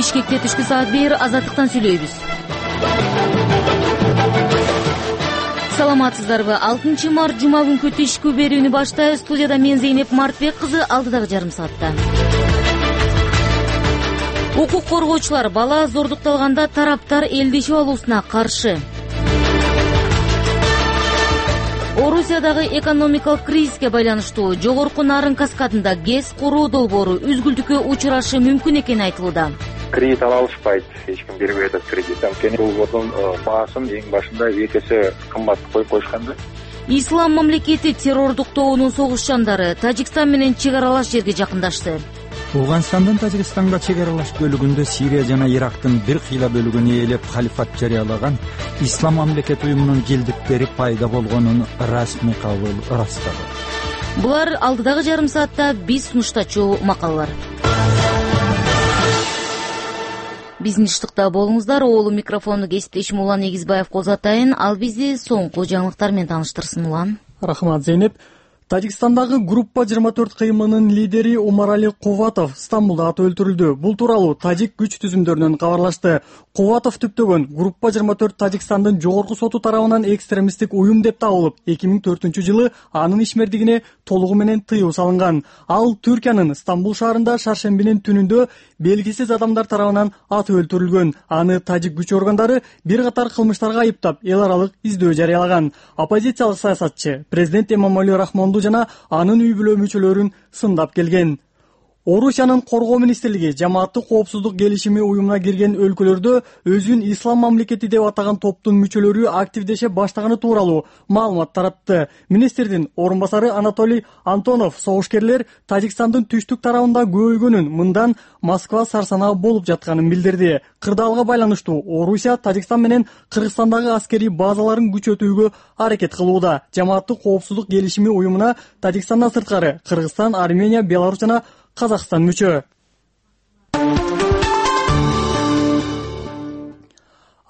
Бишкекте түшкү саат 1 Азаттыктан сүйлөйбүз. Саламатсыздарбы? 6 март жума күнкү түшкү берүүнү баштайбыз. Студияда мен Зейнеп Мартбек кызы, алдыдагы жарым саатта. Укук коргоочулар бала зордукталганда тараптар элдешип алуусуна каршы. Орусиядагы экономикалык кризиске байланыштуу жогорку Нарын каскадында ГЭС куруу долбоору үзгүлтүккө учурашы мүмкүн экени айтылууда. Кредит ала алышпайт, эч ким бербей атат кредит. Анткени долбоордун баасын эң башында 2 эсе кымбат коюп коюшкан да. Ислам мамлекети террордук тобунун согушчандары Тажикстан менен чек аралаш жерге жакындашты. Афганстандын Тажикстанга чек аралаш бөлүгүндө Сирия жана Ирактын бир кыйла бөлүгүн ээлеп халифат жарыялаган Ислам мамлекети уюмунун келдиктери пайда болгонун расмий кабыл ырастады. Булар алдыдагы жарым саатта биз сунуштачу макалалар. Биздин иштыкта болуңуздар. Оолу микрофонду кесиптешим Улан Эгизбаев козотайын. Ал бизди соңку жаңылыктар менен тааныштырсын. Улан. Рахмат, Зейнеп. Тажикстандагы группа 24 кыймынын лидери Умарали Куватов Стамбулда атып өлтүрүлдү. Бул тууралуу тажик күч түзүмдөрүнөн кабарлашты. Куватов түптөгөн группа 24 Тажикстандын жогорку соту тарабынан экстремисттик уюм деп табылып, 2004-жылы анын ишмердигине толугу менен тыюу салынган. Ал Түркиянын Стамбул шаарында шаршембинин түнүндө белгисиз адамдар тарабынан атып өлтүрүлгөн. Аны тажик күч органдары бир катар кылмыштарга айыптап, эл аралык издөө жарыялаган. Оппозициялык саясатчы президент Эмомали Рахмонду жана анын үй бүлө мүчөлөрүн сындап келген. Орусиянын коргоо министрлиги жамааттык коопсуздук келишими уюмуна кирген өлкөлөрдө өзүн ислам мамлекети деп атаган топтун мүчөлөрү активдеше баштаганы тууралуу маалымат таратты. Министрдин орун басары Анатолий Антонов согушкерлер Тажикстандын түштүк тарабында көбөйгөнүн, мындан Москва сарсанаа болуп жатканын билдирди. Кырдаалга байланыштуу Орусия Тажикстан менен Кыргызстандагы аскерий базаларын күчөтүүгө аракет кылууда. Жамааттык коопсуздук келишими уюмуна Тажикстандан сырткары Кыргызстан, Армения, Беларусь жана Казакстан мүчө.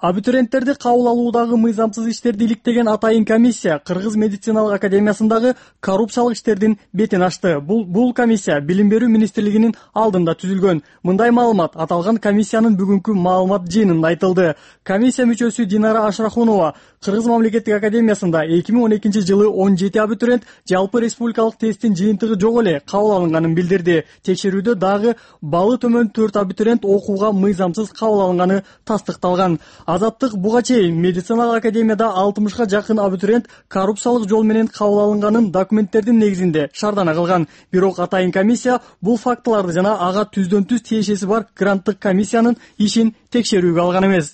Абитуриенттерди кабыл алуудагы мыйзамсыз иштерди иликтеген атайын комиссия Кыргыз медициналык академиясындагы коррупциялык иштердин бетин ачты. Бул комиссия Билим берүү министрлигинин алдында түзүлгөн. Мындай маалымат аталган комиссиянын бүгүнкү маалымат жыйынында айтылды. Комиссия мүчөсү Динара Ашрахунова Кыргыз мамлекеттик академиясында 2012-жылы 17 абитуриент жалпы республикалык тесттин жыйынтыгы жок эле кабыл алынганын билдирди. Текшерүүдө дагы балы төмөн 4 абитуриент окууга мыйзамсыз кабыл алынганы тастыкталган. Азаттык буга чейин медициналык академияда 60га жакын абитуриент коррупциялык жол менен кабыл алынганын документтердин негизинде шаардана кылган. Бирок атайын комиссия бул фактыларды жана ага түздөн-түз тиешеси бар гранттык комиссиянын ишин текшерүүгө алган эмес.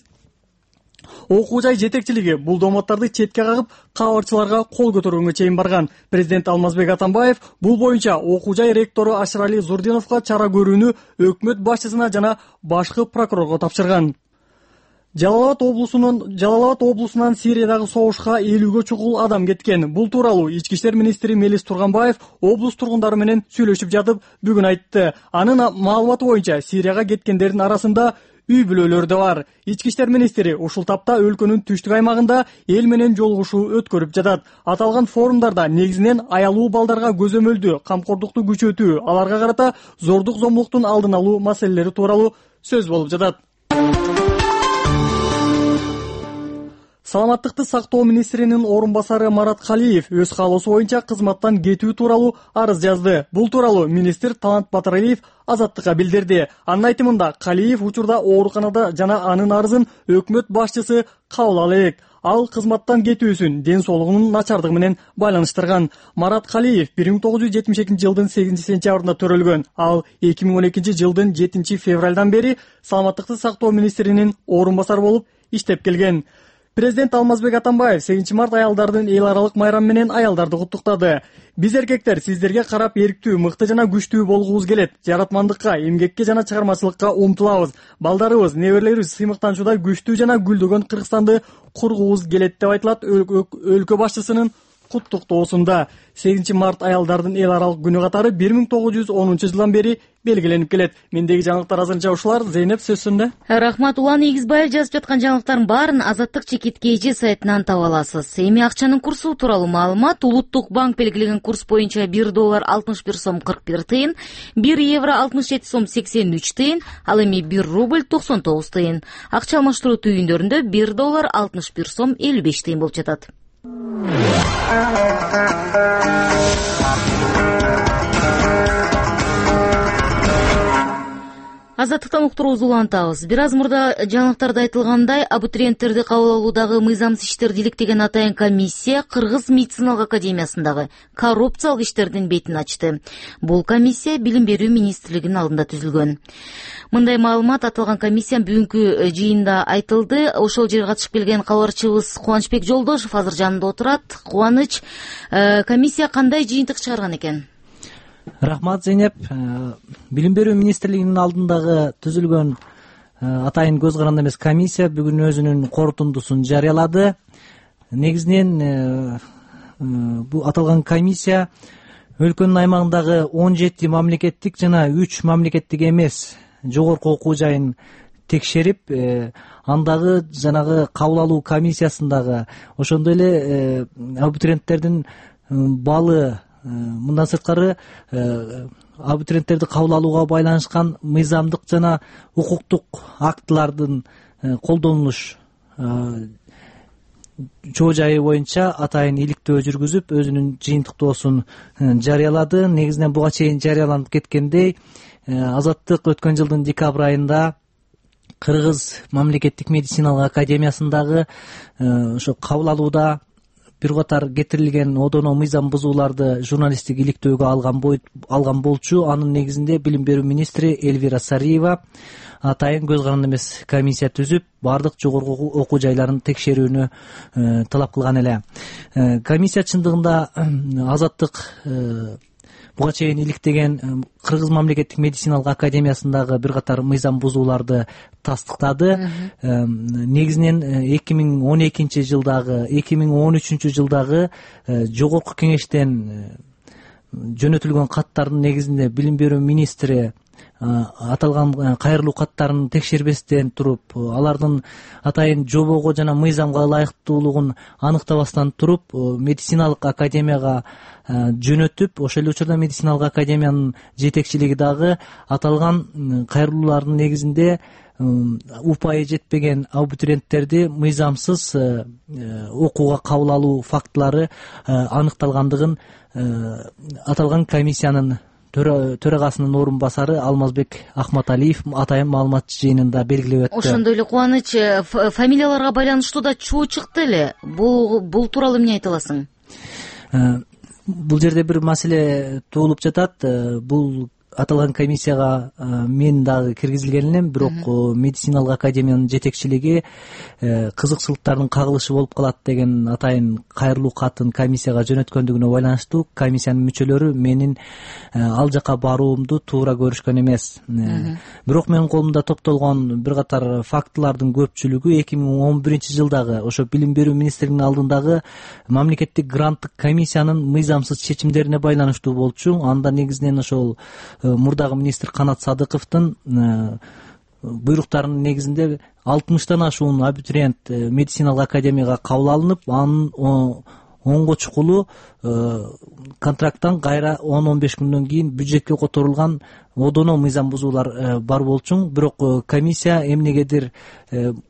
Окуу жай жетекчилиги бул домотторду четке кагып, кабарчыларга кол көтөргөнгө чейин барган. Президент Алмазбек Атамбаев бул боюнча окуу жай ректору Ашырали Зурдиновго чара көрүүнү өкмөт башчысына жана башкы прокурорго тапшырган. Жалал абад облусунан Сириядагы согушка 50гө чукул адам кеткен. Бул тууралуу Ички иштер министри Мелис Турганбаев облус тургундары менен сүйлөшүп жатып бүгүн айтты. Анын маалыматы боюнча Сирияга кеткендердин арасында үй бүлөлөр да бар. Ички иштер министри ушул тапта өлкөнүн түштүк аймагында эл менен жолугушуу өткөрүп жатат. Аталган форумдарда негизинен аялуу балдарга көзөмөлдүү камкордукту күчөтүү, аларга карата зордук зомбулуктун алдын алуу маселелери тууралуу сөз болуп жатат. Саламаттыкты сактоо министринин орун басары Марат Калиев өз каалоосу боюнча кызматтан кетүү тууралуу арыз жазды. Бул тууралуу министр Талант Батыралиев Азаттыкка билдирди. Анын айтымында Калиев учурда ооруканада жана анын арызын өкмөт башчысы кабыл ала элек. Ал кызматтан кетүүсүн ден соолугунун начардыгы менен байланыштырган. Марат Калиев 1972-жылдын 8-сентябрында төрөлгөн. Ал 2012-жылдын 7-февралдан бери саламаттыкты сактоо министринин орун басары болуп иштеп келген. Президент Алмазбек Атамбаев 8 март аялдардын эл аралык майрам менен аялдарды куттуктады. Биз эркектер сиздерге карап эрктүү, мыкты жана күчтүү болгубуз келет. Жаратмандыкка, эмгекке жана чыгармачылыкка умтулабыз. Балдарыбыз, неберелерибиз сыймыктанчуда күчтүү жана гүлдөгөн Кыргызстанды кургубуз келет деп айтылат өлкө башчысынын куттуктоосунда. 8 март аялдардын эл аралык күнү катары 1910 бери белгиленип келет. Мендеги жаңылыктар азырынча ушулар. Зейнеп, сөз сиңде. Рахмат. Улан Ийгизбаев жазып жаткан жаңылыктардын баарын Азаттык чекит KG сайтынан таба аласыз. Эми акчанын курсу тууралуу маалымат. Улуттук банк белгилеген курс боюнча $1 61 сом 41 тыйын, €1 67 сом 83 тыйын, ал эми $1 99 тыйын. Акча алмаштыруу түйүндөрүндө $1 61 сом 55 тыйын болуп жатат. Азаттыктан уктуруубузду улантабыз. Бир аз мурда жаңылыктарда айтылгандай, абитуриенттерди кабыл алуудагы мыйзамсыз иштерди иликтеген атайын комиссия Кыргыз медициналык академиясындагы коррупциялык иштердин бетин ачты. Бул комиссия Билим берүү министрлигинин алдында түзүлгөн. Мындай маалымат аталган комиссиянын бүгүнкү жыйында айтылды. Ошол жерге катышып келген кабарчыбыз Кубанычбек Жолдошов азыр жанымда отурат. Кубаныч, комиссия кандай жыйынтык чыгарган экен? Рахмат, Зейнеп. Билим берүү министрлигинин алдындагы түзүлгөн атайын көз каранды эмес комиссия бүгүн өзүнүн корутундусун жарыялады. Негизинен бул аталган комиссия өлкөнүн аймагындагы 17 мамлекеттик жана 3 мамлекеттик эмес жогорку окуу жайын текшерип, андагы жанагы кабыл алуу комиссиясындагы ошондой эле абитуриенттердин баллы, мындан сырткары абитуриенттерди кабыл алууга байланышкан мыйзамдык жана укуктук актылардын колдонулуш чоо жайы боюнча атайын иликтөө жүргүзүп, өзүнүн жыйынтыктоосун жарыялады. Негизинен буга чейин жарыяланып кеткендей, Азаттык өткөн жылдын декабрь айында Кыргыз мамлекеттик медициналык академиясындагы ошо кабыл алууда бир катар кетирилген одоно мыйзам бузууларды журналисттик иликтөөгө алган болчу. Анын негизинде Билим берүү министри Элвира Сариева атайын көз каранды эмес комиссия түзүп, бардык жогорку окуу жайларын текшерүүнү талап кылган эле. Комиссия чындыгында Азаттык буга чейин иликтеген Кыргыз мамлекеттик медициналык академиясындагы бир катар мыйзам бузууларды тастыктады. Негизинен 2012 жылдагы, 2013 жылдагы жогорку кеңештен жөнөтүлгөн каттардын негизинде Билим берүү министри аталган кайрылуу каттарын текшербестен туруп, алардын атайын жобого жана мыйзамга ылайыктуулугун аныктабастан туруп, медициналык академияга жөнөтүп, ошол эле учурда медициналык академиянын жетекчилиги дагы аталган кайрылуулардын негизинде упайы жетпеген абитуриенттерди мыйзамсыз окууга кабыл алуу фактылары аныкталгандыгын аталган комиссиянын төрагасынын орун басары Алмазбек Ахматалиев атайын маалымат жыйынында белгилеп өттү. Ошондой эле Кубаныч, фамилияларга байланыштуу да чуу чыкты эле. Бул тууралуу эмне айта аласың? Бул жерде бир маселе туулуп жатат. Бул аталган комиссияга мен дагы киргизилген элем, бирок медициналык академиянын жетекчилиги кызыкчылыктардын кагылышы болуп калат деген атайын кайрылуу катын комиссияга жөнөткөндүгүнө байланыштуу комиссиянын мүчөлөрү менин ал жака баруумду туура көрүшкөн эмес. Бирок менин колумда топтолгон бир катар фактылардын көпчүлүгү 2011 жылдагы ошо Билим берүү министрлигинин алдындагы мамлекеттик гранттык комиссиянын мыйзамсыз чечимдерине байланыштуу болчу. Анда негизинен ошол мурдагы министр Канат Садыковдун буйруктарынын негизинде 60тан ашуун абитуриент медициналык академияга кабыл алынып, анын онго чукулу контракттан кайра 10-15 күндөн кийин бюджетке которулган одоно мыйзам бузуулар бар болчу. Бирок комиссия эмнегедир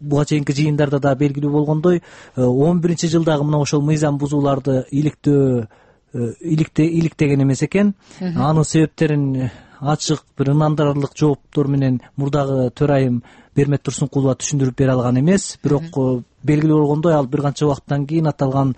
буга чейинки жыйындарда да белгилүү болгондой 11 жылдагы мына ошол мыйзам бузууларды иликтеген эмес экен. Анын себептерин ачык бир ынандырарлык жооптор менен мурдагы төрайым Бермет Турсункулова түшүндүрүп бере алган эмес. Бирок белгилүү болгондой, ал бир канча убакыттан кийин аталган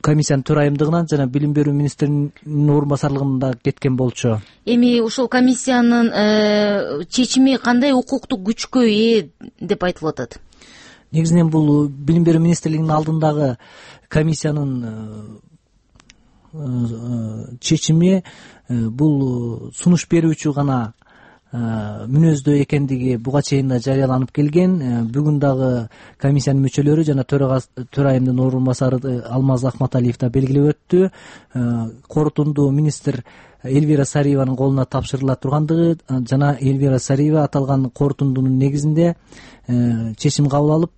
комиссиянын төрайымдыгынан жана Билим берүү министринин орун басарлыгында кеткен болчу. Эми ушул комиссиянын чечими кандай укуктук күчкө ээ деп айтылып атат? Негизинен бул Билим берүү министрлигинин алдындагы комиссиянын чечими бул сунуш берүүчү гана мүнөздө экендиги буга чейин да жарыяланып келген. Бүгүн дагы комиссиянын мүчөлөрү жана төрайымдын орун басары Алмаз Акматалиев да белгилеп өттү. Корутунду министр Эльвира Сариеванын колуна тапшырыла тургандыгы жана Эльвира Сариева аталган корутундунун негизинде чечим кабыл алып,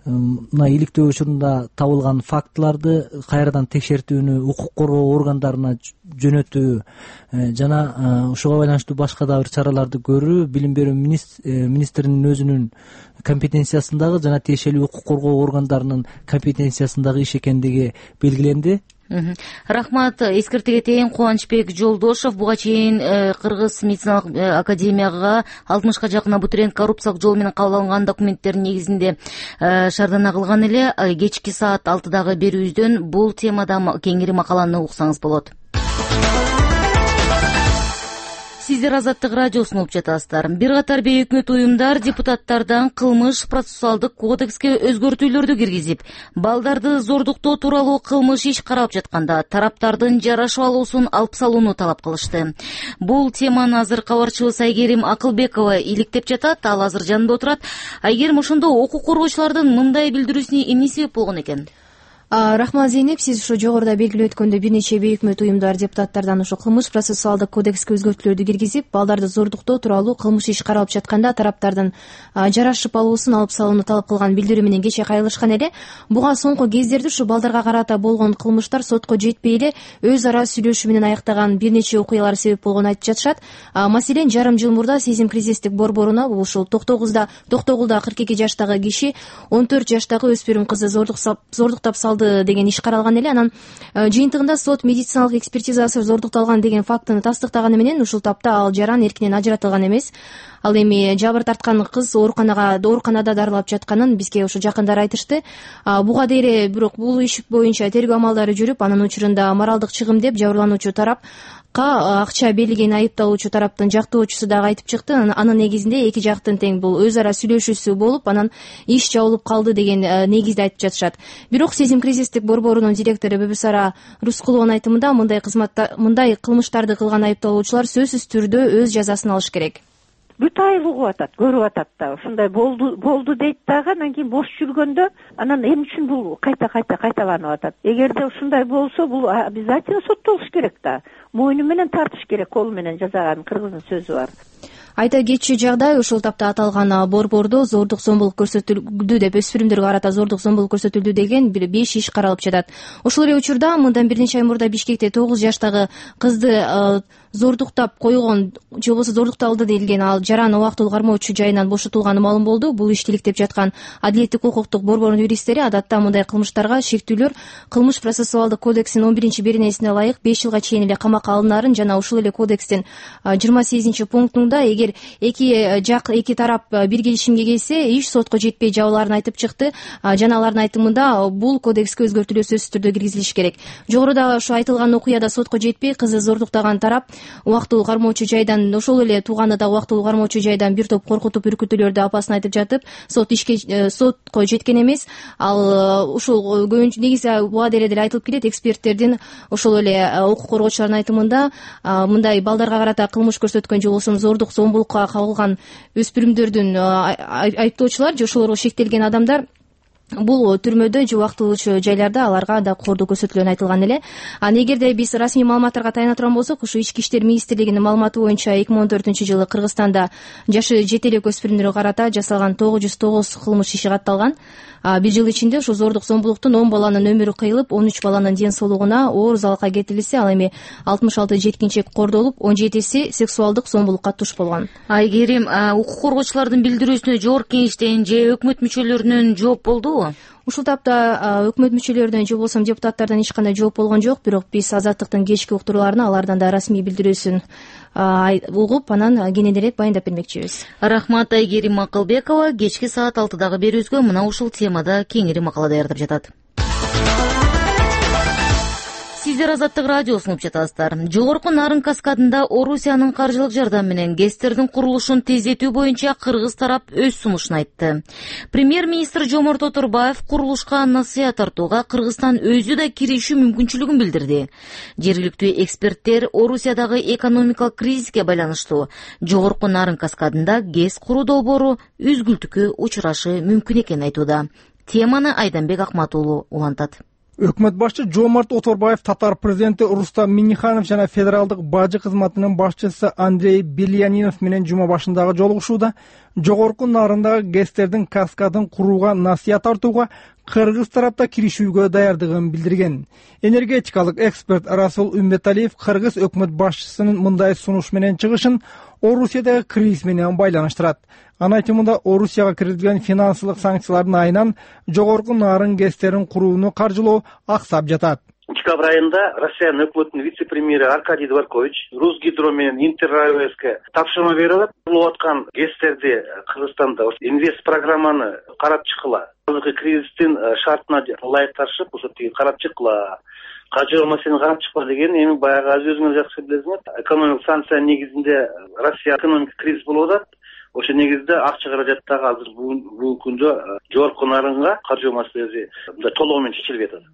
мына иликтөө учурунда табылган фактыларды кайрадан текшертүүнү укук коргоо органдарына жөнөтүү жана ушуга байланыштуу башка да бир чараларды көрүү билим берүү министринин өзүнүн компетенциясындагы жана тиешелүү укук коргоо органдарынын компетенциясындагы иш экендиги белгиленди. Рахмат. Эскертип кетейин, Кубанычбек Жолдошов буга чейин Кыргыз медициналык академияга 60ка жакын абитуриент коррупциялык жол менен кабыл алынган документтердин негизинде шаардана кылган эле. Кечки саат 6дагы берүүбүздөн бул темада кеңири макаланы уксаңыз болот. Сиздер Азаттык радиосун угуп жатасыздар. Бир катар бейөкмөт уюмдар депутаттардан кылмыш процессуалдык кодекске өзгөртүүлөрдү киргизип, балдарды зордуктоо тууралуу кылмыш иш каралып жатканда тараптардын жарашып алуусун алып салууну талап кылышты. Бул теманы азыр кабарчыбыз Айгерим Акылбекова иликтеп жатат. Ал азыр жанында отурат. Айгерим, ошондо укук коргоочулардын мындай билдирүүсүнө эмне себеп болгон экен? Рахмат Зейнеп, сиз ушу жогоруда белгилеп өткөндөй бир нече бейөкмөт уюмдар депутаттардан ушу кылмыш процессуалдык кодекске өзгөртүүлөрдү киргизип, балдарды зордуктоо тууралуу кылмыш иш каралып жатканда тараптардын жарашып алуусун алып салууну талап кылган билдирүү менен кече кайрылышкан эле. Буга соңку кездерде ушу балдарга карата болгон кылмыштар сотко жетпей эле өз ара сүйлөшүү менен аяктаган бир нече окуялар себеп болгонун айтып жатышат. Маселен, жарым жыл мурда Сезим кризистик борборуна ушул Токтогулда 42 жаштагы киши 14 жаштагы өспүрүм кызды зордуктап салды деген иш каралган эле. Анан жыйынтыгында сот медициналык экспертизасы зордукталган деген фактыны тастыктаганы менен ушул тапта ал жаран эркинен ажыратылган эмес. Ал эми жабыр тарткан кыз ооруканада дарылап жатканын бизге ушу жакындар айтышты. Буга дейре бирок бул иш боюнча тергөө амалдары жүрүп, анын учурунда моралдык чыгым деп жабырлануучу тарапка акча берилгени айыпталуучу тараптын жактоочусу дагы айтып чыкты. Анын негизинде эки жактын тең бул өз ара сүйлөшүүсү болуп, анан иш жабылып калды деген негизде айтып жатышат. Бирок Сезим кризистик борборунун директору Бибисара Рускулованын айтымында мындай кылмыштарды кылган айыпталуучулар сөзсүз түрдө өз жазасын алыш керек. Бүт айыл угуп атат, көрүп атат да, ушундай болду дейт дагы, анан кийин бош жүргөндө анан эмне үчүн бул кайталанып атат? Эгерде ушундай болсо, бул обязательно соттолуш керек да. Мойну менен тартыш керек, колу менен жасаган, кыргыздын сөзү бар. Айта кетчү жагдай, ушул тапта аталган борбордо зордук зомбулук көрсөтүлдү деп, өспүрүмдөргө карата зордук зомбулук көрсөтүлдү деген 5 иш каралып жатат. Ошол эле учурда мындан бир нече ай мурда Бишкекте 9 жаштагы кызды зордуктап койгон же болбосо зордукталды делген ал жаран убактылуу кармоочу жайынан бошотулганы маалым болду. Бул ишти иликтеп жаткан Адилеттик укуктук борбордун юристтери адатта мындай кылмыштарга шектүүлөр кылмыш процессуалдык кодексинин 11-беренесине ылайык 5 жылга чейин эле камакка алынаарын жана ушул эле кодекстин 28-пунктунда эгер эки тарап бир келишимге келсе, иш сотко жетпей жабылаарын айтып чыкты. Жана алардын айтымында бул кодекске өзгөртүүлөр сөзсүз түрдө киргизилиш керек. Жогоруда ушу айтылган окуяда сотко жетпей кызы зордуктаган тарап убактылуу кармоочу жайдан, ошол эле тууганы да убактылуу кармоочу жайдан бир топ коркутуп үркүтүүлөрдү апасына айтып жатып, сотко жеткен эмес. Ал ушул көбүнчө негизи буга деле айтылып келет. Эксперттердин ошол эле укук коргоочулардын айтымында мындай балдарга карата кылмыш көрсөткөн же болбосо зордук зомбулукка кабылган өспүрүмдөрдүн айыптоочулар же ошолорго шектелген адамдар бул түрмөдө же убактылуу жайларда аларга да кордуу көрсөтүлгөнү айтылган эле. Эгерде биз расмий маалыматтарга таяна турган болсок, ушу Ички иштер министрлигинин маалыматы боюнча 2014-жылы Кыргызстанда жашы жете элек өспүрүмдөргө карата жасалган 909 кылмыш иши катталган. Бир жыл ичинде ушу зордук зомбулуктун 10 баланын өмүрү кыйылып, 13 баланын ден соолугуна оор залалга келтирилсе, ал эми 66 жеткинчек кордолуп, 17си сексуалдык зомбулукка туш болгон. Айгерим, укук коргоочулардын билдирүүсүнө жогорку кеңештен же өкмөт мүчөлөрүнөн жооп болдубу? Ушул тапта өкмөт мүчөлөрүнөн же болбосо депутаттардан эч кандай жооп болгон жок, бирок биз Азаттыктын кечки уктурууларына алардан да расмий билдирүүсүн угуп, анан кененирээк баяндап бермекчибиз. Рахмат, Айгерим Акылбекова. Кечки саат 6дагы берүүбүзгө мына ушул темада кеңири макала даярдап жатат. Сиздер Азаттык радиосун угуп жатасыздар. Жогорку Нарын каскадында Орусиянын каржылык жардамы менен ГЭСтердин курулушун тездетүү боюнча кыргыз тарап өз сунушун айтты. Премьер-министр Жомарт Оторбаев курулушка насыят тартууга Кыргызстан өзү да киришүү мүмкүнчүлүгүн билдирди. Жергиликтүү эксперттер Орусиядагы экономикалык кризиске байланыштуу Жогорку Нарын каскадында ГЭС куруу долбоору үзгүлтүккө учурашы мүмкүн экенин айтууда. Теманы Айданбек Акмат уулу улантат. Өкмөт башчы Жомарт Оторбаев Татар президенти Рустам Минниханов жана федералдык бажы кызматынын башчысы Андрей Бельянинов менен жума башындагы жолугушууда Жогорку Нарындагы ГЭСтердин каскадын курууга насыят тартууга кыргыз тарапта киришүүгө даярдыгын билдирген. Энергетикалык эксперт Расул Умбеталиев кыргыз өкмөт башчысынын мындай сунуш менен чыгышын Орусиядагы кризис менен байланыштырат. Анын айтымында Орусияга киргизилген финансылык санкциялардын айынан Жогорку Нарын ГЭСтерин курууну каржылоо аксап жатат. Декабрь айында Россиянын өкмөтүнүн вице-премьери Аркадий Дворкович Русгидро менен Интерраевске тапшырма берип алат. Курулуп аткан ГЭСтерди Кыргызстанда инвест программаны карап чыккыла. Азыркы кризистин шартына ылайыкташып, ошо тиги карап чыккыла. Кажоо маселени карап чыкпа деген эми баягы өзүңөр жакшы билесиңер. Экономикалык санкция негизинде Россия экономикалык кризис болуп атат. Ошо негизде акча каражаттагы азыр бул күндө Жогорку Нарынга каржоо маселеси толугу менен чечилбей атат.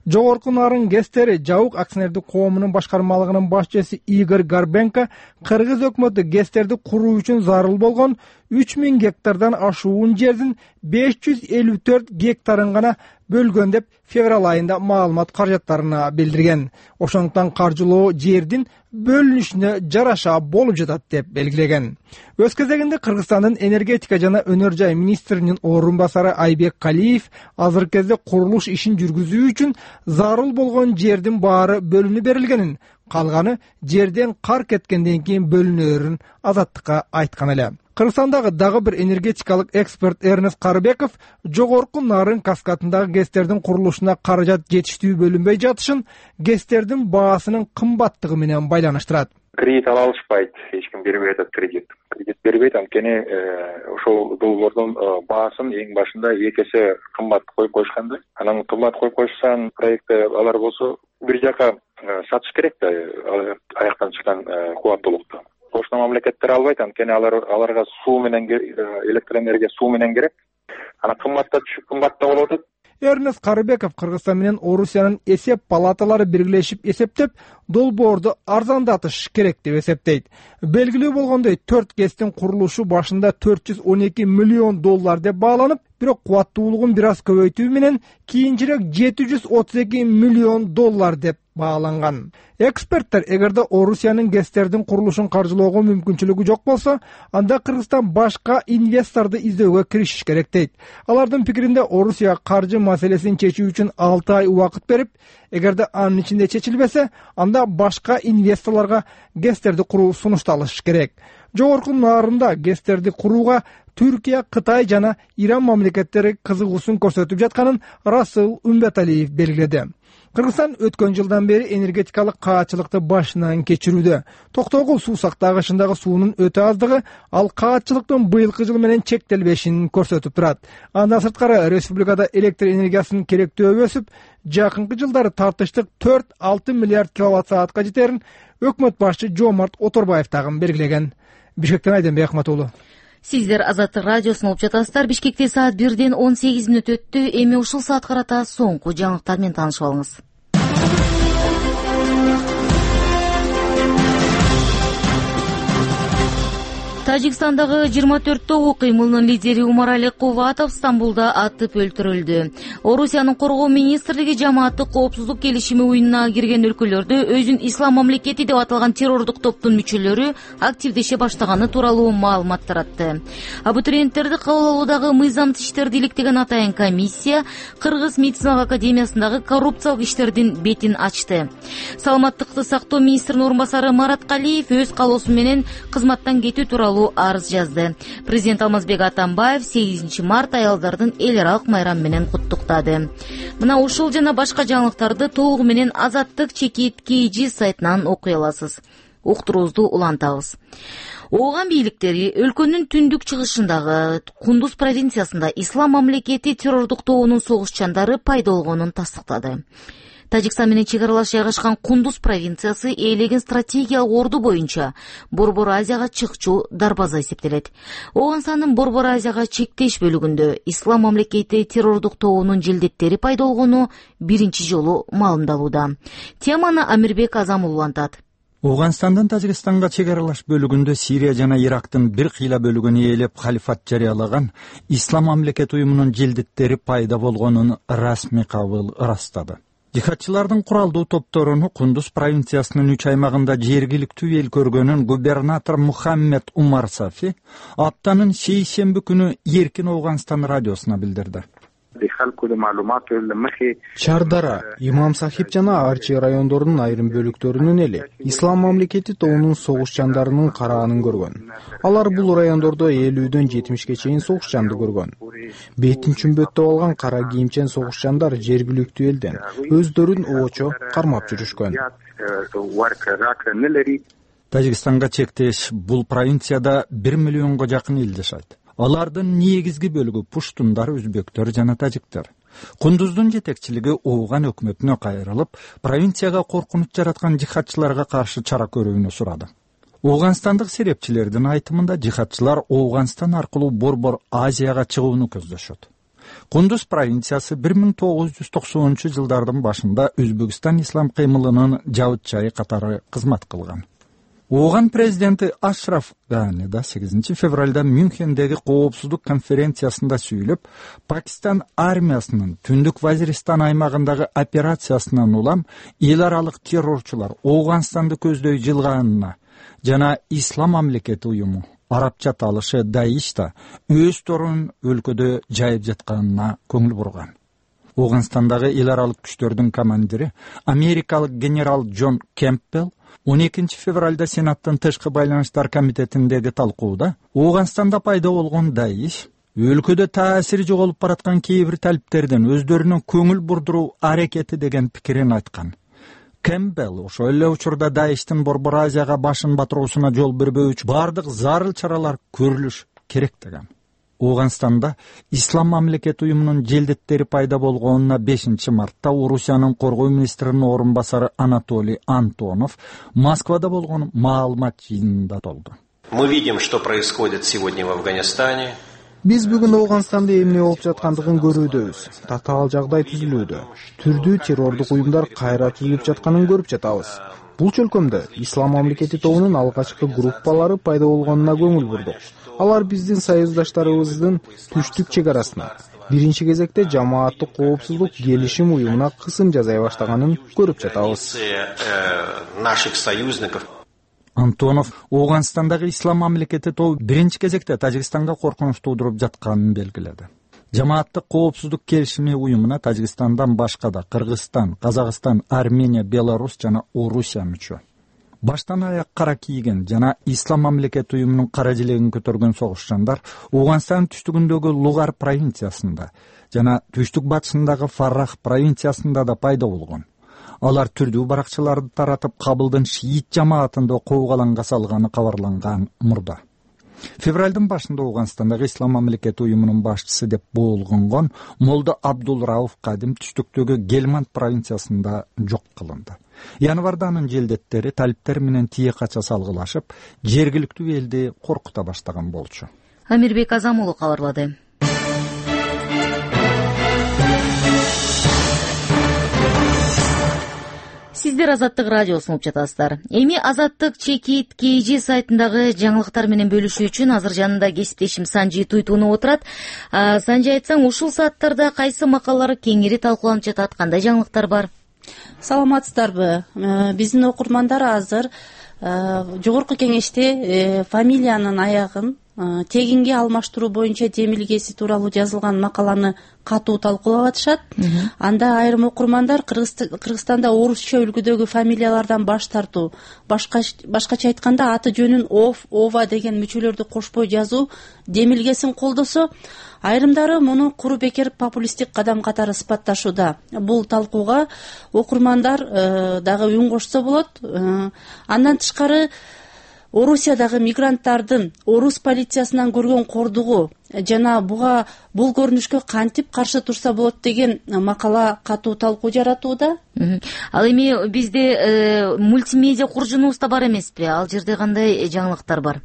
Жогорку Нарын ГЭСтери Жабык акционердик коомунун башкармалыгынын башчысы Игорь Горбенко кыргыз өкмөтү ГЭСтерди куруу үчүн зарыл болгон 3000 гектардан ашуун жердин 554 гектарын гана бөлгөн деп февраль айында маалымат каражаттарына билдирген. Ошондуктан каржылоо жердин бөлүнүшүнө жараша болуп жатат деп белгилеген. Өз кезегинде Кыргызстандын энергетика жана өнөр жай министринин орун басары Айбек Калиев азыркы кезде курулуш ишин жүргүзүү үчүн зарыл болгон жердин баары бөлүнүп берилгенин, калганы жерден кар кеткенден кийин бөлүнөрүн Азаттыкка айткан эле. Кыргызстандагы дагы бир энергетикалык эксперт Эрнест Карыбеков Жогорку Нарын каскадындагы ГЭСтердин курулушуна каражат жетиштүү бөлүнбөй жатышын ГЭСтердин баасынын кымбаттыгы менен байланыштырат. Кредит ала алышпайт, эч ким бербей атат кредит. Кредит бербейт, анткени ошол долбоордун баасын эң башында 2 эсе кымбат коюп коюшкан да. Анан кымбат коюп коюшсан проектте алар болсо бир жака сатыш керек да, аяктан чыккан кубаттуулукту. Кошуна мамлекеттер албайт, анткени аларга суу менен электр энергия суу менен керек. Анан кымбатта болуп атат. Эрнест Карыбеков Кыргызстан менен Орусиянын эсеп палаталары биргелешип эсептеп, долбоорду арзандатыш керек деп эсептейт. Белгилүү болгондой 4 ГЭСтин курулушу башында $412 миллион деп бааланып, бирок кубаттуулугун бир аз көбөйтүү менен кийинчерээк $732 миллион деп бааланган. Эксперттер эгерде Орусиянын ГЭСтердин курулушун каржылоого мүмкүнчүлүгү жок болсо, анда Кыргызстан башка инвесторду издөөгө киришиш керек дейт. Алардын пикиринде Орусия каржы маселесин чечүү үчүн 6 ай убакыт берип, эгерде анын ичинде чечилбесе, анда башка инвесторлорго ГЭСтерди куруу сунушталыш керек. Жогорку Нарында ГЭСтерди курууга Түркия, Кытай жана Иран мамлекеттери кызыгуусун көрсөтүп жатканын Расул Умбеталиев белгиледи. Кыргызстан өткөн жылдан бери энергетикалык каатчылыкты башынан кечирүүдө. Токтогул суу сактагычындагы суунун өтө аздыгы ал каатчылыктын быйылкы жыл менен чектелбешин көрсөтүп турат. Андан сырткары республикада электр энергиясынын керектөөбү өсүп, жакынкы жылдары тартыштык 4-6 миллиард киловатт саатка жетерин өкмөт башчы Жомарт Оторбаев дагы белгилеген. Бишкектен Айданбек Акмат уулу. Сиздер Азаттык радиосун угуп жатасыздар. Бишкекте саат 1:18 өттү. Эми ушул саат карата соңку жаңылыктар менен таанышып алыңыз. Тажикстандагы 24 тогу кыймылынын лидери Умарали Куватов Стамбулда атып өлтүрүлдү. Орусиянын коргоо министрлиги жамааттык коопсуздук келишими уюмуна кирген өлкөлөрдө өзүн ислам мамлекети деп аталган террордук топтун мүчөлөрү активдеше баштаганы тууралуу маалымат таратты. Абитуриенттерди кабыл алуудагы мыйзамсыз иштерди иликтеген атайын комиссия Кыргыз медициналык академиясындагы коррупциялык иштердин бетин ачты. Саламаттыкты сактоо министринин орун басары Марат Калиев өз калоосу менен кызматтан кетүү тууралуу арыз жазды. Президент Алмазбек Атамбаев 8 март аялдардын эл аралык майрамы менен куттуктады. Мына ушул жана башка жаңылыктарды толугу менен Азаттык чекит KG сайтынан окуй аласыз. Уктуруубузду улантабыз. Ооган бийликтери өлкөнүн түндүк чыгышындагы Кундуз провинциясында ислам мамлекети террордук тобунун согушчандары пайда болгонун тастыктады. Тажикстан менен чек аралаш жайгашкан Кундуз провинциясы ээлеген стратегиялык орду боюнча Борбор Азияга чыкчу дарбаза эсептелет. Ооганстандын Борбор Азияга чектеш бөлүгүндө Ислам мамлекети террордук тобунун желдеттери пайда болгону биринчи жолу маалымдалууда. Теманы Амирбек Азам улантат. Ооганстандын Тажикстанга чек аралаш бөлүгүндө Сирия жана Ирактын бир кыйла бөлүгүн ээлеп халифат жарыялаган Ислам мамлекети уюмунун желдеттери пайда болгонун расмий кабыл ырастады. Жихадчылардын куралдуу топторуну Кундуз провинциясынын 3 аймагында жергиликтүү эл көргөнүн губернатор Мухаммед Умар Сафи аптанын шейшемби күнү Эркин Ооганстан радиосуна билдирди. Чардара, Имам Сахиб жана Арчи райондорунун айрым бөлүктөрүнүн эли Ислам мамлекети тобунун согушчандарынын караанын көргөн. Алар бул райондордо 50дөн 70ке чейин согушчанды көргөн. Бетин чүмбөттөп алган кара кийимчен согушчандар жергиликтүү элден өздөрүн оочо кармап жүрүшкөн. Тажикстанга чектеш бул провинцияда 1 миллионго жакын эл жашайт. Алардын негизги бөлүгү пуштундар, өзбектөр жана тажиктер. Кундуздун жетекчилиги Ооган өкмөтүнө кайрылып, провинцияга коркунуч жараткан жихадчыларга каршы чара көрүүнү сурады. Ооганстандык серепчилердин айтымында жихадчылар Ооганстан аркылуу Борбор Азияга чыгууну көздөшөт. Кундуз провинциясы 1990-жылдардын башында Өзбекстан ислам кыймылынын жабытчайы катары кызмат кылган. Ооган президенти Ашраф Гани да 8 февралда Мюнхендеги коопсуздук конференциясында сүйлөп, Пакистан армиясынын Түндүк Вазиристан аймагындагы операциясынан улам эл аралык террорчулар Ооганстанды көздөй жылганына жана Ислам мамлекети уюму, арабча аталышы Даиш да өз торун өлкөдө жайып жатканына көңүл бурган. Ооганстандагы эл аралык күчтөрдүн командири америкалык генерал Джон Кемпбелл 12 февралда Сенаттын тышкы байланыштар комитетиндеги талкууда Ооганстанда пайда болгон Даиш өлкөдө таасири жоголуп бараткан кээ бир талиптердин өздөрүнүн көңүл бурдуруу аракети деген пикирин айткан. Кемпбелл ошол эле учурда Даиштин Борбор Азияга башын батыруусуна жол бербөө үчүн бардык зарыл чаралар көрүлүш керек деген. Ооганстанда Ислам мамлекети уюмунун желдеттери пайда болгонуна 5 мартта Орусиянын коргоо министринин орун басары Анатолий Антонов Москвада болгон маалымат жыйынында толду. Мы видим, что происходит сегодня в Афганистане. Биз бүгүн Ооганстанда эмне болуп жаткандыгын көрүүдөбүз. Татаал жагдай түзүлүүдө. Түрдүү террордук уюмдар кайра түзүлүп жатканын көрүп жатабыз. Бул чөлкөмдө Ислам мамлекети тобунун алгачкы группалары пайда болгонуна көңүл бурдук. Алар биздин союздаштарыбыздын түштүк чек арасына биринчи кезекте жамааттык коопсуздук келишим уюмуна кысым жасай баштаганын көрүп жатабыз. Антонов Ооганстандагы Ислам мамлекети тобу биринчи кезекте Тажикстанга коркунуч туудуруп жатканын белгиледи. Жамааттык коопсуздук келишими уюмуна Тажикстандан башка да Кыргызстан, Казакстан, Армения, Беларусь жана Орусия мүчө. Баштан аяк кара кийген жана Ислам мамлекети уюмунун кара желегин көтөргөн согушчандар Ооганстан түштүгүндөгү Лугар провинциясында жана түштүк батышындагы Фаррах провинциясында да пайда болгон. Алар түрдүү баракчаларды таратып Кабылдын шиит жамаатында куугаланга салганы кабарланган мурда. Февралдын башында Ооганстандагы Ислам мамлекети уюмунун башчысы деп болгонгон Молда Абдул Рауф Кадим түштүктөгү Гельманд провинциясында жок кылынды. Январда анын желдеттери талиптер менен тие кача салгылашып, жергиликтүү элди коркута баштаган болчу. Амирбек Азам уулу кабарлады. Сиздер Азаттык радиосун угуп жатасыздар. Эми Азаттык Чекит KG сайтындагы жаңылыктар менен бөлүшүү үчүн азыр жанында кесиптешим Санжи Туйтунов отурат. Санжи, айтсаң, ушул сааттарда кайсы макалалар кеңири талкууланып жатат, кандай жаңылыктар бар? Саламатсыздарбы? Биздин окурмандар азыр жогорку кеңеште фамилиянын аягын тегинге алмаштыруу боюнча демилгеси тууралуу жазылган макаланы катуу талкуулап атышат. Анда айрым окурмандар Кыргызстанда орусча үлгүдөгү фамилиялардан баш тартуу, башкача айтканда аты жөнүн ова деген мүчөлөрдү кошпой жазуу демилгесин колдосо, айрымдары муну куру бекер популисттик кадам катары сыпатташууда. Бул талкууга окурмандар дагы үн кошсо болот. Андан тышкары Орусиядагы мигранттардын орус полициясынан көргөн кордугу жана бул көрүнүшкө кантип каршы турса болот деген макала катуу талкуу жаратууда. Ал эми бизде мультимедиа куржунубуз да бар эмеспи? Ал жерде кандай жаңылыктар бар?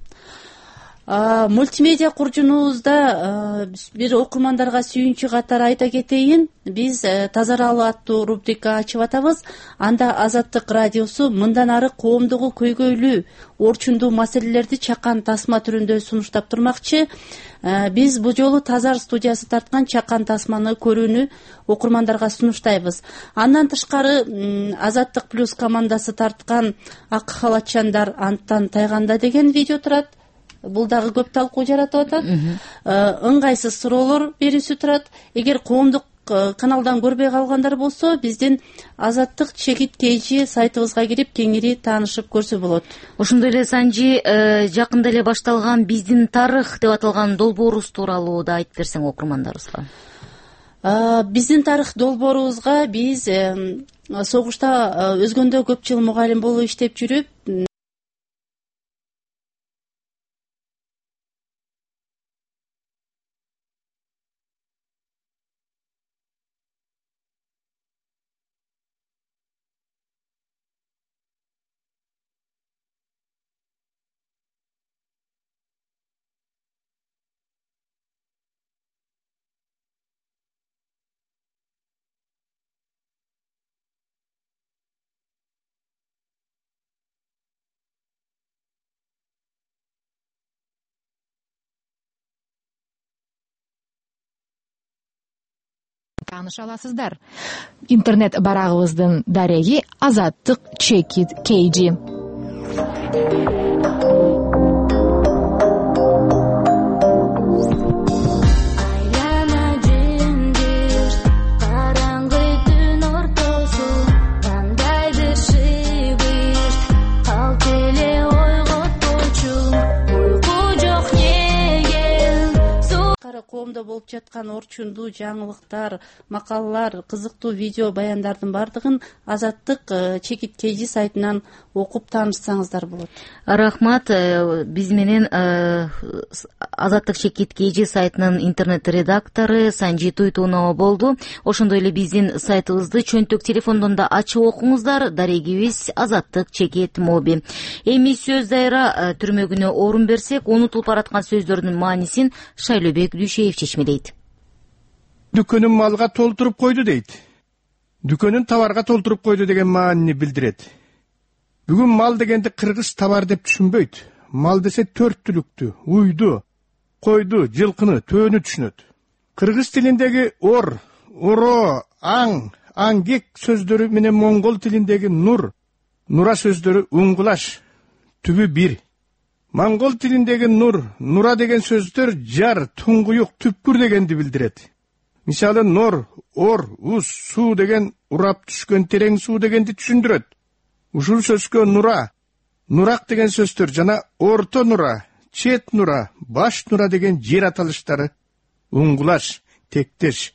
Мультимедиа куржунубузда бир окурмандарга сүйүнчү катары айта кетейин. Биз Тазаралы аттуу рубрика ачып атабыз. Анда Азаттык радиосу мындан ары коомдогу көйгөйлүү, орчундуу маселелерди чакан тасма түрүндө сунуштап турмакчы. Биз бул жолу Тазар студиясы тарткан чакан тасманы көрүүнү окурмандарга сунуштайбыз. Андан тышкары Азаттык плюс командасы тарткан Ак халатчандар анттан тайганда деген видео турат. Бул дагы көп талкуу жаратып атат. Ыңгайсыз суроолор берүүсү турат. Эгер коомдук каналдан көрбөй калгандар болсо, биздин Азаттык чекит KG сайтыбызга кирип кеңири таанышып көрсө болот. Ошондой эле Санжи, жакында эле башталган биздин тарых деп аталган долбоорубуз тууралуу да айтып берсең окурмандарыбызга. Биздин тарых долбоорубузга биз согушта өзгөндө көп жыл мугалим болуп иштеп жүрүп, тааныша аласыздар. Интернет барагыбыздын дареги Азаттык чекит KG. Коомдо болуп жаткан орчундуу жаңылыктар, макалалар, кызыктуу видео баяндардын бардыгын Азаттык чекит KG сайтынан окуп таанышсаңыздар болот. Рахмат. Биз менен Азаттык чекит KG сайтынын интернет редактору Санжи Туйтунова болду. Ошондой эле биздин сайтыбызды чөнтөк телефондон да ачып окуңуздар. Дарегибиз Азаттык чекит моби. Эми сөз дайра түрмөгүнө орун берсек, унутулуп бараткан сөздөрдүн маанисин Шайлөбек Дүйшеев чечмелейт. Дүкөнүн малга толтуруп койду дейт. Дүкөнүн товарга толтуруп койду деген маанини билдирет. Бүгүн мал дегенди кыргыз товар деп түшүнбөйт. Мал десе төрт түлүктү, уйду, койду, жылкыны, төөнү түшүнөт. Кыргыз тилиндеги ор, оро, аң, аңгек сөздөрү менен моңгол тилиндеги нур, нура сөздөрү уңгулаш, түбү бир. Моңгол тилиндеги нур, нура деген сөздөр жар, туңгуюк, түпкүр дегенди билдирет. Мисалы нор, ор, уз, суу деген урап түшкөн терең суу дегенди түшүндүрөт. Ушул сөзгө нура, нурак деген сөздөр жана орто нура, чет нура, баш нура деген жер аталыштары уңгулаш, тектеш.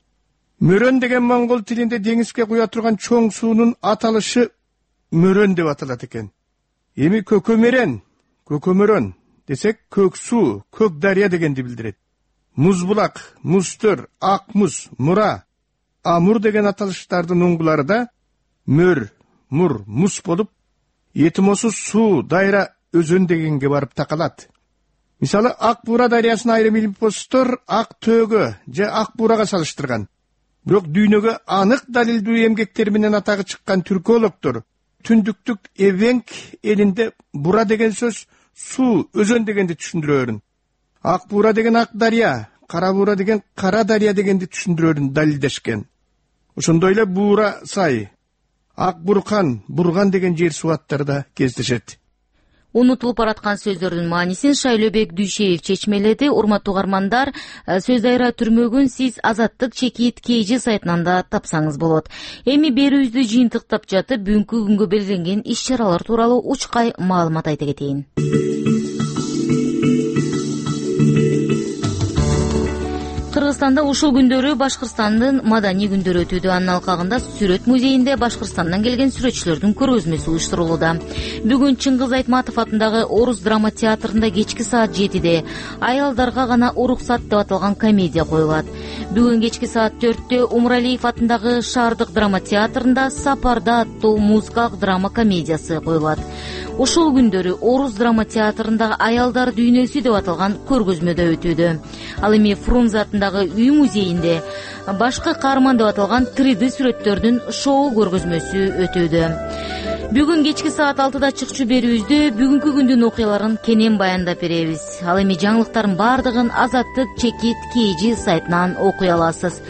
Мөрөн деген моңгол тилинде деңизге куя турган чоң суунун аталышы мөрөн деп аталат экен. Эми көкөмөрөн десек көк суу, көк дарыя дегенди билдирет. Музбулак, музтөр, ак муз, мура, амур деген аталыштардын уңгулары да мөр, мур, муз болуп, этимосуз суу, дайра, өзөн дегенге барып такалат. Мисалы, Ак Буура дарыясын айрым илимпоздор ак төөгө же ак буурага салыштырган. Бирок дүйнөгө анык далилдүү эмгектер менен атагы чыккан түркологдор түндүктүк Эвенк элинде бура деген сөз суу, өзөн дегенди түшүндүрөрүн. Ак Буура деген ак дарыя, Кара Буура деген кара дарыя дегенди түшүндүрөрүн далилдешкен. Ошондой эле Буура сай, Ак Буркан, Бурган деген жер сууаттары да кездешет. Унутулуп бараткан сөздөрдүн маанисин Шайлөбек Дүйшеев чечмеледи. Урматтуу угармандар, сөз дайра түрмөгүн сиз Азаттык чекит KG сайтынан да тапсаңыз болот. Эми берүүбүздү жыйынтыктап жатып, бүгүнкү күнгө белгиленген иш-чаралар тууралуу учкай маалымат айта кетейин. Кыргызстанда ушул күндөрү Башкырстандын маданий күндөрү өтүүдө. Анын алкагында Сүрөт музейинде Башкырстандан келген сүрөтчүлөрдүн көргөзмөсү уюштурулууда. Бүгүн Чыңгыз Айтматов атындагы Орус драма театрында кечки саат 7-де аялдарга гана уруксат деп аталган комедия коюлат. Бүгүн кечки саат 4-тө Умралиев атындагы Шаардык драма театрында Сапарда аттуу музыкалык драма комедиясы коюлат. Ушул күндөрү Орус драма театрында аялдар дүйнөсү деп аталган көргөзмөдө өтүүдө. Ал эми Фрунзе атындагы үй музейинде башкы каарман деп аталган 3D сүрөттөрдүн шоу көргөзмөсү өтүүдө. Бүгүн кечки саат 6-да чыкчу берүүбүздө бүгүнкү күндүн окуяларын кенен баяндап беребиз. Ал эми жаңылыктардын баардыгын Азаттык Чекит KG сайтынан окуй аласыз.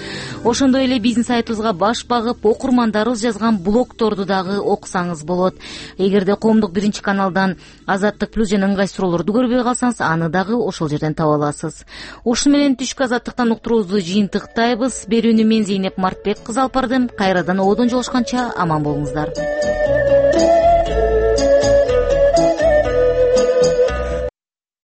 Ошондой эле биздин сайтыбызга баш багып, окурмандарыбыз жазган блогторду дагы окусаңыз болот. Эгерде Коомдук 1-каналдан Азаттык плюс жана ыңгай суроолорду көрбөй калсаңыз, аны дагы ошол жерден таба аласыз. Ушуну менен түшкү Азаттыктан уктуруубузду жыйынтыктайбыз. Берүүнү мен Зейнеп Мартбек кызы алып бардым. Кайрадан ободон жолугушканча аман болуңуздар.